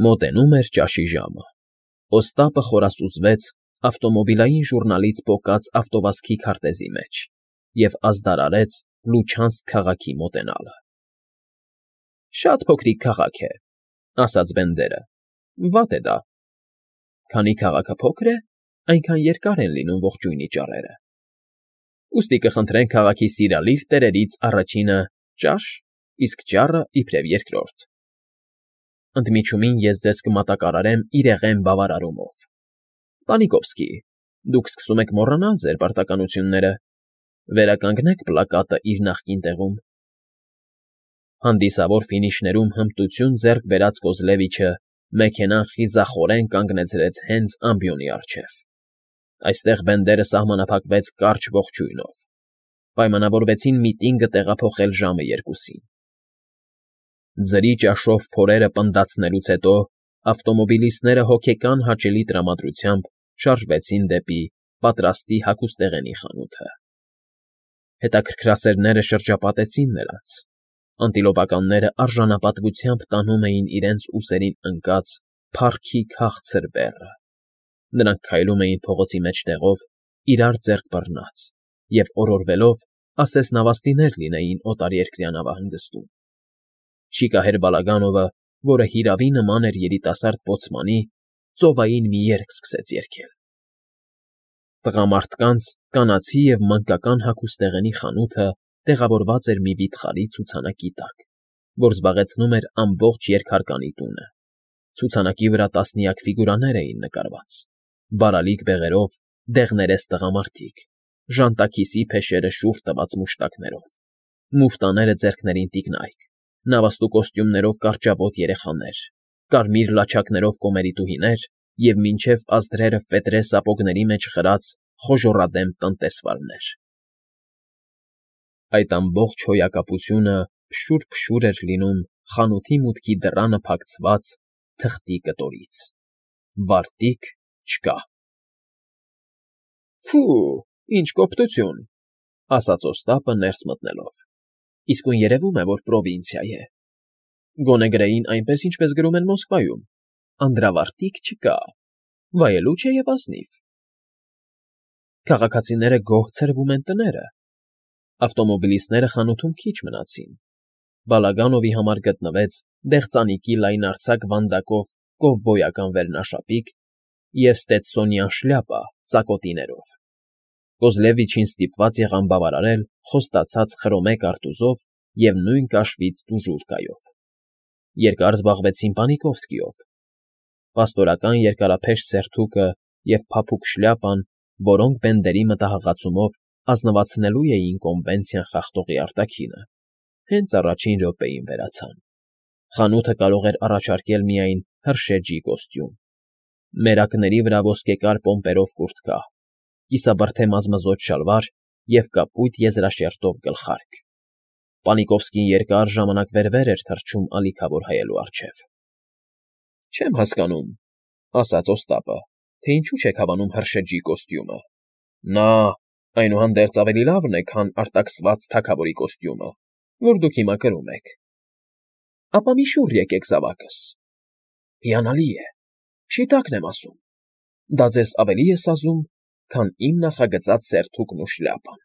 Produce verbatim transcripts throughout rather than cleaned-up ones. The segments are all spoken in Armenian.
Մոտենում էր ճաշի ժամը։ Օստապը խորասուզվեց ավտոմոբիլային ժուռնալից պոկած ավտովազքի քարտեզի մեջ և ազդարարեց Լուչանսկ քաղաքի մոտենալը։ ֊ Շատ փոքրիկ քաղաք է,֊ ասաց Բենդերը,֊ վատ է դա։ Քանի քաղաքը փոքր է, այնքան երկար են լինում ողջույնի ճառերը։ Ուստի կխնդրենք քաղաքի սիրալիր տերերից առաջինը ճաշ, իսկ ճառը իբրև երկրորդ։ Ընդմիջումին ես ձեզ կմատակարարեմ իրեղեն բավարարումով։ Պանիկովսկի, դուք սկսում եք մոռանալ ձեր պարտականությունները, վերականգնեք պլակատը իր նախկին տեղում։ Հանդիսավոր ֆինիշներում հմտություն ձեռք բերած Կոզլևիչը մեքենան խիզախորեն կանգնեցրեց հենց ամբիոնի առջև։ Այստեղ Բենդերը սահմանափակվեց կարճ ողջույնով։ Պայմանավորվեցին միտինգը տեղափոխել ժամը երկուսին։ Ձրի ճաշով փորերը պնդացնելուց հետո ավտոմոբիլիստները հոգեկան հաճելի տրամադրությամբ շարժվեցին դեպի պատրաստի հագուստեղենի խանութը։ Հետաքրքրասերները շրջապատեցին նրանց։ Անտիլոպականները արժանապատվությամբ տանում էին իրենց ուսերին ընկած փառքի քաղցր բեռը։ Նրանք քայլում էին փողոցի մեջտեղով, իրար ձեռք բռնած, և օրորվելով ասես նավաստիներ լինեին օտարերկրյա նավահանգստում։ Շիկահեր Բալագանովը, որը հիրավի նման էր երիտասարդ պոցմանի, ծովային մի երգ սկսեց երգել։ Տղամարդկանց, կանացի և մանկական հագուստեղենի խանութը տեղավորված էր մի վիթխարի ցուցանակի տակ, որ զբաղեցնում էր ամբողջ երկհարկանի տունը։ Ցուցանակի վրա տասնյակ ֆիգուրաներ էին նկարված, բարալիկ բեղերով, դեղներես տղամարդիկ, ժանտաքիսի փեշերը շուռ տված մուշտակներով, մուֆտաները ձեռքներին տիկնայք, նավաստու կոստյումներով կարճավոտ երեխաներ, կարմիր լաչակներով կոմերիտուհիներ և մինչև ազդրերը ֆետրե սապոգների մեջ խրած խոժոռադեմ տնտեսվարներ։ Այդ ամբողջ հոյակապությունը փշուր֊փշուր էր լինում խանութի մուտքի դռանը փակցված թղթի կտորից։ Վարտիք չկա։ ֊ Ֆո՜ւ, ինչ կոպտություն,֊ ասաց Օստապը ներս մտնելով։֊ Իսկույն երևում է, որ պրովինցիա է։ Գոնե գրեին այնպես, ինչպես գրում են Մոսկվայում. անդրավարտիք չկա, վայելուչ է և ազնիվ։ Քաղաքացիները գոհ ցրվում են տները։ Ավտոմոբիլիստները խանութում քիչ մնացին։ Բալագանովի համար գտնվեց դեղծանիկի լայնարձակ վանդակով կովբոյական վերնաշապիկ և ստետսոնյան շլյապա ծակոտիներով։ Կոզլևիչին ստիպված եղան բավարարել խոստացած խրոմե կարտուզով և նույն կաշվից տուժուրկայով։ Երկար զբաղվեցին Պանիկովսկիով։ Պաստորական երկարափեշ սերթուկը և փափուկ շլյապան, որոնք Բենդերի մտահղացումով ազնվացնելու էին կոնվենցիան խախտողի արտաքինը, հենց առաջին րոպեին վերացան։ Խանութը կարող էր առաջարկել միայն հրշեջի կոստյում, մերակների վրա ոսկեկար պոմպերով կուրտկա, կիսաբրդե մազմզոտ շալվար և կապույտ եզրաշերտով գլխարկ։ Պանիկովսկին երկար ժամանակ վեր֊վեր էր թռչում ալիքավոր հայելու առջև։ ֊ Չեմ հասկանում,֊ ասաց Օստապը,֊ թե ինչու չեք հավանում հրշեջի կոստյումը։ Նա, այնուհանդերձ, ավելի լավն է, քան արտաքսված թագավորի կոստյումը, որ դուք հիմա կրում եք։ Ապա մի շուռ եկեք զավակս։ Հիանալի է, շիտակն եմ ասում, դա ձեզ ավելի է սազում, քան իմ նախագծած սերթուկն ու շլյապան։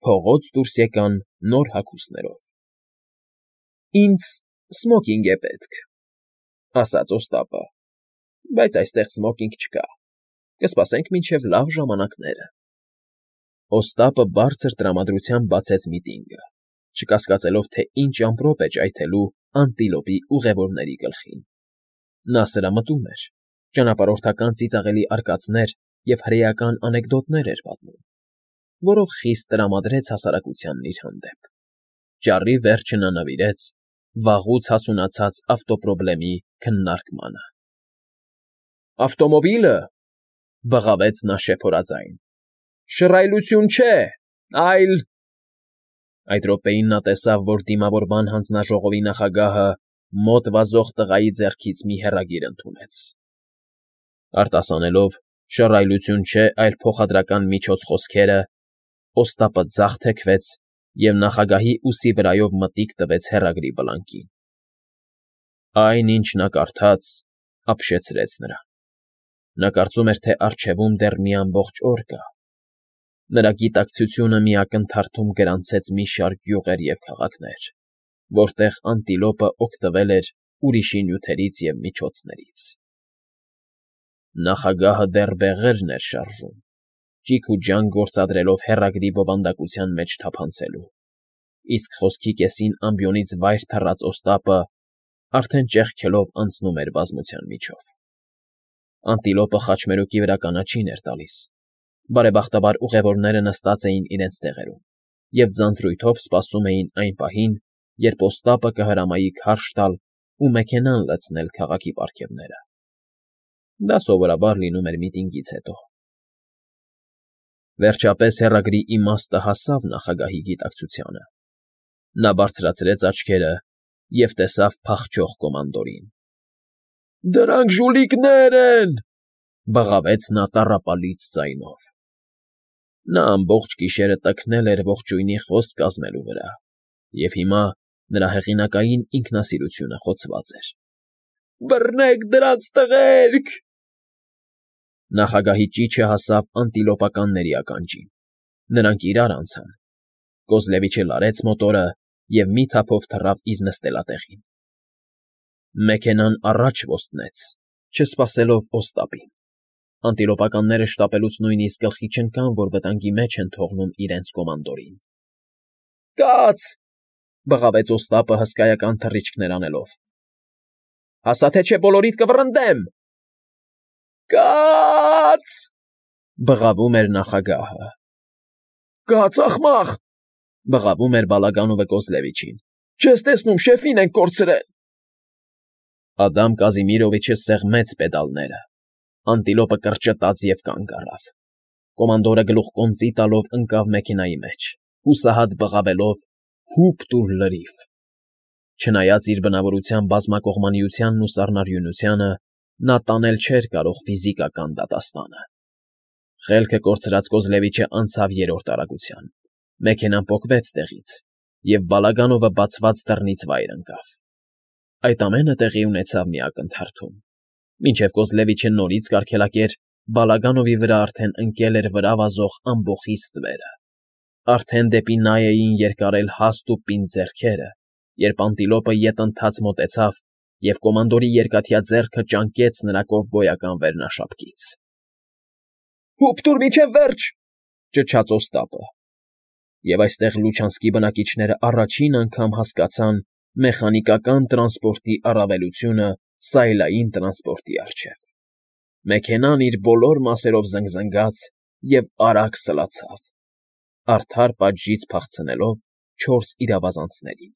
Փողոց դուրս եկան նոր հագուստներով։ ֊ Ինձ սմոկինգ է պետք,֊ ասաց Օստապը,֊ բայց այստեղ սմոկինգ չկա, կսպասենք մինչև լավ ժամանակները։ Օստապը բարձր տրամադրությամբ բացեց միտինգը, չկասկածելով, թե ինչ ամպրոպ է ճայթելու անտիլոպի ուղևորների գլխին։ Նա սրամտում էր, ճանապարհորդական ծիծաղելի արկածներ և հրեական անեկդոտներ էր պատմում, որով խիստ տրամադրեց հասարակությանն իր հանդեպ։ Ճառի վերջը նա նվիրեց վաղուց հասունացած ավտոպրոբլեմի քննարկմանը։ ֊ Ավտոմոբիլը,֊ բղավեց նա շեփորաձայն,֊ շռայլություն չէ, այլ… Այդ րոպեին նա տեսավ, որ դիմավորման հանձնաժողովի նախագահը մոտ վազող տղայի ձեռքից մի հեռագիր ընդունեց։ Արտասանելով «շռայլություն չէ, այլ փոխադրական միջոց» խոսքերը, Օստապը ձախ թեքվեց և նախագահի ուսի վրայով մտիկ տվեց հեռագրի բլանկին։ Այն, ինչ նա կարդաց, ապշեցրեց նրան. նա կարծում էր, թե առջևում դեռ մի ամբողջ օր կա. նրա գիտակցությունը մի ակնթարթում գրանցեց մի շարք գյուղեր և քաղաքներ, որտեղ անտիլոպը օգտվել էր ուրիշի նյութերից և միջոցներից. նախագահը դեռ բեղերն էր շարժում, ճիգ ու ջանք գործադրելով հեռագրի բովանդակության մեջ թափանցելու, իսկ խոսքի կեսին ամբիոնից վայր թռած Օստապը արդեն ճեղքելով անցնում էր բազմության միջով. Անտիլոպը խաչմերուկի վրա կանաչին էր տալիս, բարեբախտաբար ուղևորները նստած էին իրենց տեղերում և ձանձրույթով սպասում էին այն պահին, երբ Օստապը կհրամայի քարշ տալ ու մեքենան լցնել քաղաքի պարգևները. դա սովորաբար լինում էր միտինգից հետո։ Վերջապես հեռագրի իմաստը հասավ նախագահի գիտակցությանը. նա բարձրացրեց աչքերը և տեսավ փախչող կոմանդորին։ ֊ Դրանք ժուլիկներ են,֊ բղավեց նա տառապալից ձայնով։ Նա ամբողջ գիշերը տքնել էր ողջույնի խոսք կազմելու վրա, և հիմա նրա հեղինակային ինքնասիրությունը խոցված էր։ ֊ Բռնեք դրանց տղերք… Նախագահի ճիչը հասավ անտիլոպականների ականջին. նրանք իրար անցան։ Կոզլևիչը լարեց մոտորը և մի թափով թռավ իր նստելատեղին։ Մեքենան առաջ ոստնեց, չսպասելով Օստապին։ Անտիլոպականները շտապելուց նույնիսկ գլխի չընկան, որ վտանգի մեջ են թողնում իրենց կոմանդորին։ ֊ Կաց,֊ բղավեց Օստապը հսկայական թռիչքներ անելով։֊ Հաստա թե չէ բոլորիդ կվռնդեմ… ֊ Կաց,֊ բղավում էր նախագահը։ ֊ Կաց, աղմաղ,֊ բղավում էր Բալագանովը Կոզլևիչին։֊ Չես տեսնում, շեֆին ենք կորցրել… Ադամ Կազիմիրովիչը սեղմեց պեդալները։ Անտիլոպը կրճտաց և կանգ առավ։ Կոմանդորը գլուխկոնծի տալով ընկավ մեքենայի մեջ, հուսահատ բղավելով. «Հուպ տուր լրիվ»։ Չնայած իր բնավորության բազմակողմանիությանն ու սառնարյունությանը, նա տանել չէր կարող ֆիզիկական դատաստանը։ Խելքը կորցրած Կոզլևիչը անցավ երրորդ արագության, մեքենան պոկվեց տեղից, և Բալագանովը բացված դռնից վայր ընկավ։ Այդ ամենը տեղի ունեցավ մի ակնթարթում։ Մինչև Կոզլևիչը նորից կարգելակեր, Բալագանովի վրա արդեն ընկել էր վրա վազող ամբոխից ստվերը։ Արդեն դեպի նա էին երկարել հաստ ու պինդ ձեռքերը, երբ անտիլոպը ետընթաց մոտեցավ և կոմանդորի երկաթյա ձեռքը ճանկեց նրա կովբոյական վերնաշապկից։ ֊ Հուպ տուր մինչև վերջ,֊ ճչաց Օստապը։ Եվ այստեղ Լուչանսկի բնակիչները առաջին անգամ հասկացան մեխանիկական տրանսպորտի առավելությունը սայլային տրանսպորտի առջև։ Մեքենան իր բոլոր մասերով զնգզնգաց և արագ սլացավ, արդար պատժից փախցնելով չորս իրավազանցներին։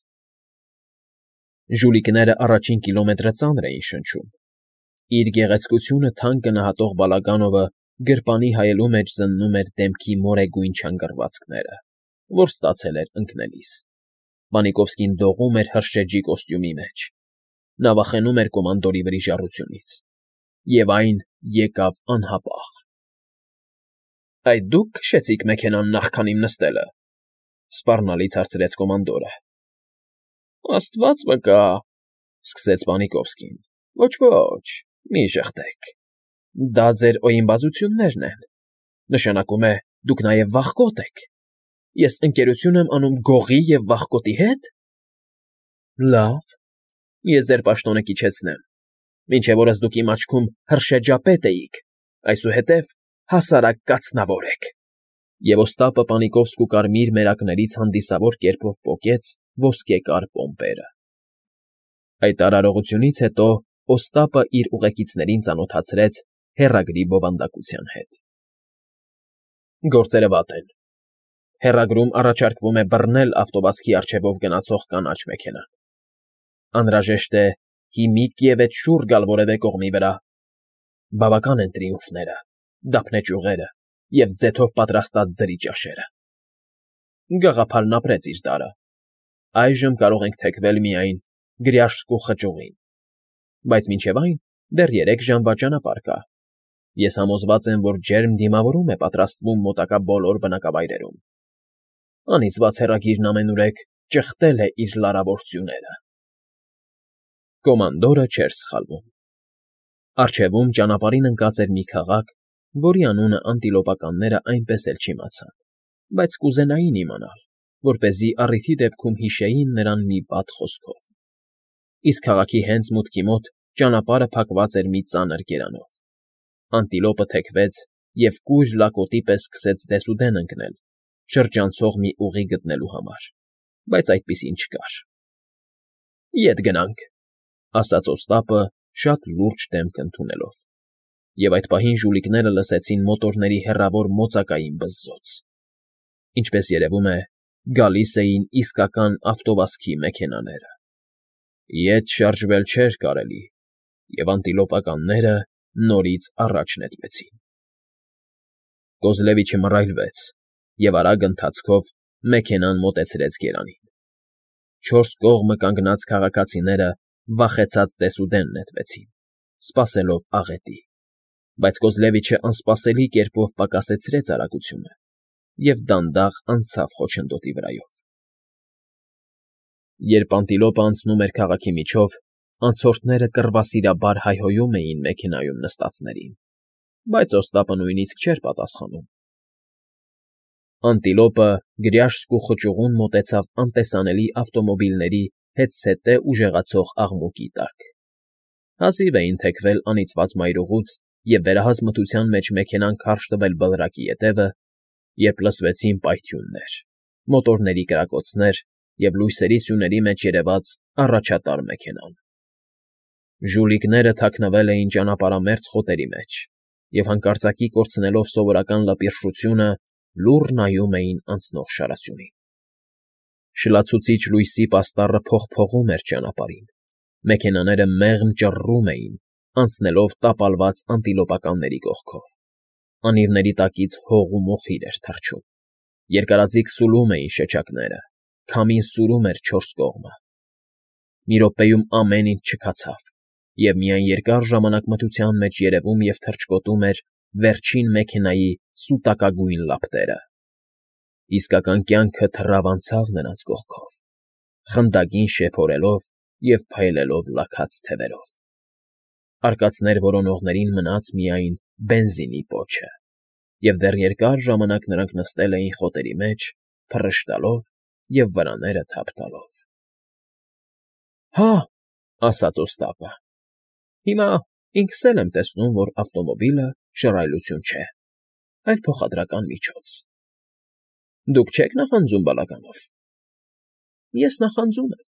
Ժուլիկները առաջին կիլոմետրը ծանր էին շնչում։ Իր գեղեցկությունը թանկ գնահատող Բալագանովը գրպանի հայելու մեջ զննում էր դեմքի մորեգույն չանգռվածքները, որ ստացել էր ընկնելիս։ Պանիկովսկին դողում էր հրշեջի կոստյումի մեջ։ Նա վախենում էր կոմանդորի վրիժառությունից։ Եվ այն եկավ անհապաղ։ ֊ Այդ դու՞ք քշեցիք մեքենան նախքան իմ նստելը,֊ սպառնալից հարցրեց կոմանդորը։ ֊ Աստված վկա,֊ սկսեց Պանիկովսկին,֊ Ոչ, ոչ, մի ժխտեք… Դա ձեր օյիմբազություններն են… Նշանակում է, դուք նաև վախկոտ եք… Ես ընկերություն եմ անում գողի և վախկոտի հետ… Լավ, ես ձեր պաշտոնը կիչեցնեմ… Մինչև օրս դուք իմ աչքում հրշեջապետ էիք, այսուհետև հասարակ կաթնավոր եք… Եվ Օստապը Պանիկովսկու կարմիր մերակներից հանդիսավոր կերպով պոկեց ոսկեկար պոմպերը։ Այդ արարողությունից հետո Օստապը իր ուղեկիցներին ծանոթացրեց հեռագրի բովանդակության հետ։ Գործերը վատ են։ Հեռագրում առաջարկվում է բռնել ավտովազքի առջևով գնացող կանաչ մեքենան։ Անհրաժեշտ է հիմիկ ևեթ շուռ գալ որևէ կողմի վրա։ Բավական են տրիումֆները, դափնե ճյուղերը և ձեթով պատրաստած ձրի ճաշերը։ Գաղափարն ապրեց իր տարը։ Այժմ կարող ենք թեքվել միայն Գրյաժսկու խճուղին։ Բայց մինչև այն դեռ երեք ժամվա ճանապարհ կա։ Ես համոզված եմ, որ ջերմ դիմավորում է պատրաստվում մոտակա բոլոր բնակավայրերում։ Անիծված հեռագիրն ամենուրեք ճխտել է իր լարավոր սյուները։ Կոմանդորը չէր սխալվում։ Առջևում ճանապարհին ընկած էր մի քաղաք, որի անունը անտիլոպականները այնպես էլ չիմացան, բայց կուզենային իմանալ, որպեսզի առիթի դեպքում հիշեին նրան մի վատ խոսքով։ Իսկ քաղաքի հենց մուտքի մոտ ճանապարհը փակված էր մի ծանր գերանով։ Անտիլոպը թեքվեց և կույր լակոտի պես սկսեց դեսուդեն ընկնել, շրջանցող մի ուղի գտնելու համար, բայց այդպիսին չկար։ ֊ Ետ գնանք,֊ ասաց Օստապը շատ լուրջ դեմք ընդունելով, և այդ պահին ժուլիկները լսեցին մոտորների հեռավոր մոծակային բզզոց. ինչպես երևում է, գալիս էին իսկական ավտովազքի մեքենաները։ Ետ շարժվել չէր կարելի, և անտիլոպականները նորից առաջ նետվեցին։ Կոզլևիչը մռայլվեց և արագ ընթացքով մեքենան մոտեցրեց գերանին։ Չորս կողմը կանգնած քաղաքացիները վախեցած դեսուդեն նետվեցին, սպասելով աղետի, բայց Կոզլևիչը անսպասելի կերպով պակասեցրեց արագությունը և դանդաղ անցավ խոչընդոտի վրայով։ Երբ անտիլոպը անցնում էր քաղաքի միջով, անցորդները կռվասիրաբար հայհոյում էին մեքենայում նստածներին, բայց Օստապը նույնիսկ չէր պատասխանում։ Անտիլոպը գրյաշխ ու խճուղուն մոտեցավ անտեսանելի ավտոմոբիլների հետզհետե ուժեղացող աղմուկի տակ։ Հազիվ էին թեքվել անիծված մայրուղուց և վերահաս մթության մեջ մեքենան քարշ տվել բլրակի ետևը, երբ լսվեցին պայթյուններ, մոտորների կրակոցներ և լույսերի սյուների մեջ երևաց առաջատար մեքենան։ Ժուլիկները թաքնվել էին ճանապարհամերձ խոտերի մեջ և հանկարծակի կորցնելով սովորական լպիրշությունը, լուռ նայում էին անցնող շարասյունին։ Շլացուցիչ լույսի պաստառը փողփողում էր ճանապարհին, մեքենաները մեղմ ճռռում էին, անցնելով տապալված անտիլոպականների կողքով, անիվների տակից հող ու մոխիր էր թռչում, երկարաձիգ սուլում էին շչակները, քամին սուրում էր չորս կողմը։ Մի րոպեում ամեն ինչ չքացավ, և միայն երկար ժամանակ մթության մեջ երևում և թռչկոտում էր վերջին մեքենայի սուտակագույն լապտերը։ Իսկական կյանքը թռավ անցավ նրանց կողքով, խնդագին շեփորելով և փայլելով լաքած թևերով։ Արկածներ որոնողներին մնաց միայն բենզինի պոչը, և դեռ երկար ժամանակ նրանք նստել էին խոտերի մեջ, փռշտալով և վրաները թափ տալով։ ֊ Հա,֊ ասաց Օստապը,֊ հիմա ինքս էլ եմ տեսնում, որ ավտոմոբիլը շռայլություն չէ, այլ փոխադրական միջոց։ Դուք չե՞ք նախանձում բալականով։ ֊ Ես նախանձում եմ,